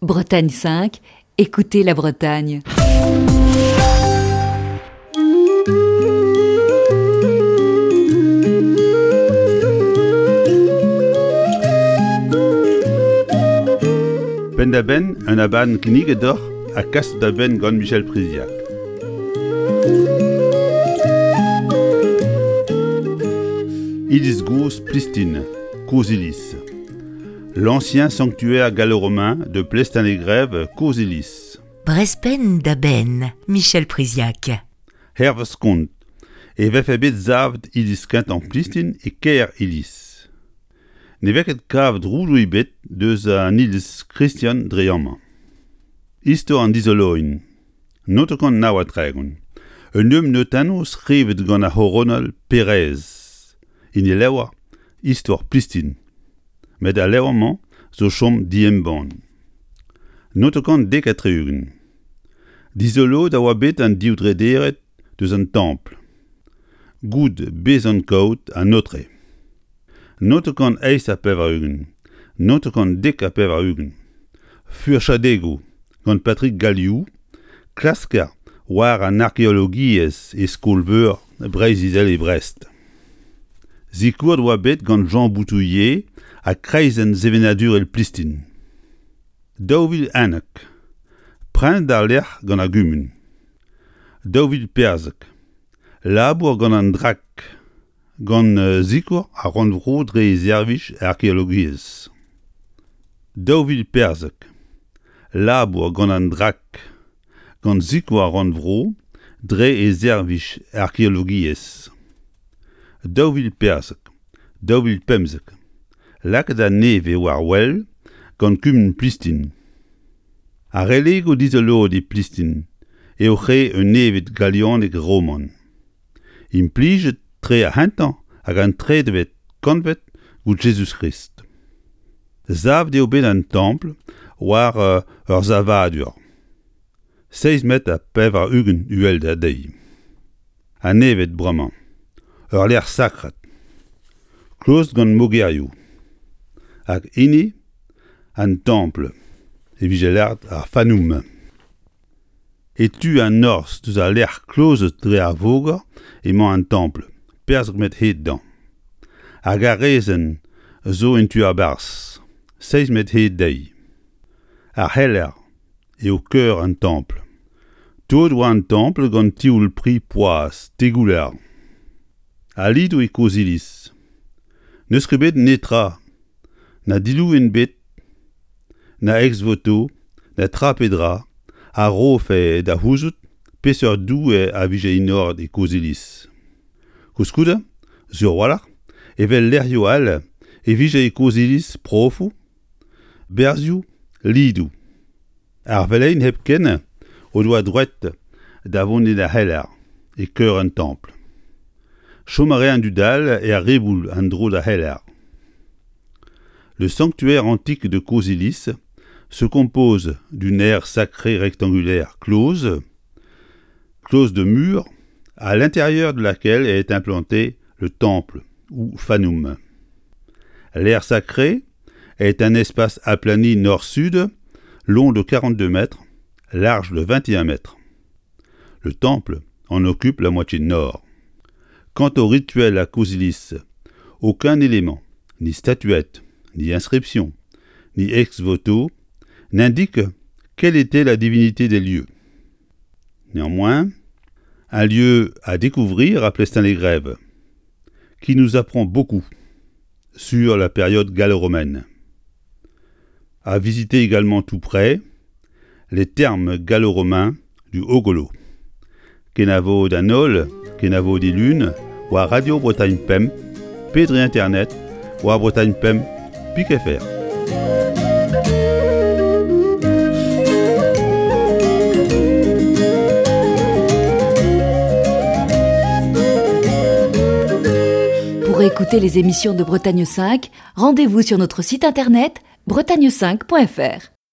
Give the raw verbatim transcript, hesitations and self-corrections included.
Bretagne cinq, écoutez la Bretagne. Penn-da-benn un abadenn kinniget deoc'h ha kaset da benn gant Michel Priziac. Iliz gozh Plistin, Kozh-Iliz. L'ancien sanctuaire gallo-romain de Plestin-les-Grèves, Kozh-Iliz. Brezh penn-da-benn, Michel Priziac. Hervez kont e vefe bet savet iliz kentañ Plistin e kêr Iliz. Ne vez ket kavet roudoù ebet deus an iliz kristen dre amañ. Istor an dizoloiñ. Naontek nav ha tregont. Un nebeud notennoù skrivet gant ar c'horonal Perez. En e levr Istor Plistin. Met al levr-mañ zo chom diembann. Naontek dek ha tri-ugent. Dizoloet a oa bet an div drederenn deus an templ. Goude bezañ kaout an aotre. Naontek eizh ha pevar-ugent. Naontek dek ha pevar-ugent. Furchadegoù gant Patrick Galliou, klasker war an arkeologiezh e skol-veur Breizh-Izel e Brest. Sikouret oa bet gant Jean Boutouillet ha kreizenn sevenadurel Plistin. Daou vil unnek. Prenet al lec'h gant ar gumun. Daou vil perzek. Labour gant an Drac, gant sikour ar rannvro dre e servij arkeologiezh. Daou vil perzek. Labour gant an Drac, gant sikour ar rannvro dre e servij arkeologiezh. Daou vil perzek. Daou vil pemzek. Lakaet a-nevez war wel gant kumun Plistin. Ar relegoù dizoloet e Plistin eo re un neved galianek-roman. Implijet tre ar c'hentañ hag an tredevet kantved goude Jezuz-Krist. Savet eo bet an templ war ur savadur. Seizh metr ha pevar-ugent uhelder dezhi. An neved bremañ. Ur lec'h sakret. Kloz gant mogerioù. Hag hini an templ e vije lâret ar Fanoum. E tu an norzh deus al lec'h klozet dre ar voger emañ an templ, perzek metr hed dezhañ. Ar garrezenn zo en tu a-barzh, seizh metr hed dezhi. Ar c'heller eo keur an templ. Toet oa an templ gant tioul pri poazh, tegouler. Al lidoù e Kozh-Iliz. N'eus ket bet netra, na dilouenn bet, na ex-voto, na tra pe dra, a rofe da c'houzout peseurt doue a vije enoret e Kozh-Iliz. Koulskoude, sur a-walc'h, evel lec'hioù all e vije e Kozh-Iliz profoù, berzioù, lidoù. Ar veleien hepken o doa droed da vont en ar c'heller, e keur an templ. Chom a rae an dud all er riboul en-dro d'ar c'heller. Le sanctuaire antique de Kozh-Iliz se compose d'une aire sacrée rectangulaire close, close de murs, à l'intérieur de laquelle est implanté le temple ou fanoum. L'aire sacrée est un espace aplani nord-sud, long de quarante-deux mètres, large de vingt et un mètres. Le temple en occupe la moitié nord. Quant au rituel à Kozh-Iliz, aucun élément, ni statuette, ni inscription, ni ex-voto, n'indique quelle était la divinité des lieux. Néanmoins, un lieu à découvrir à Plestin-les-Grèves, qui nous apprend beaucoup sur la période gallo-romaine. À visiter également tout près, les thermes gallo-romains du Haut-Golo. Kenavo d'an holl, kenavo dilun, war Radio Bretagne Pemp, pe dre internet, war Bretagne Pemp, pik F R. Pour écouter les émissions de Bretagne cinq, rendez-vous sur notre site internet bretagne cinq point F R.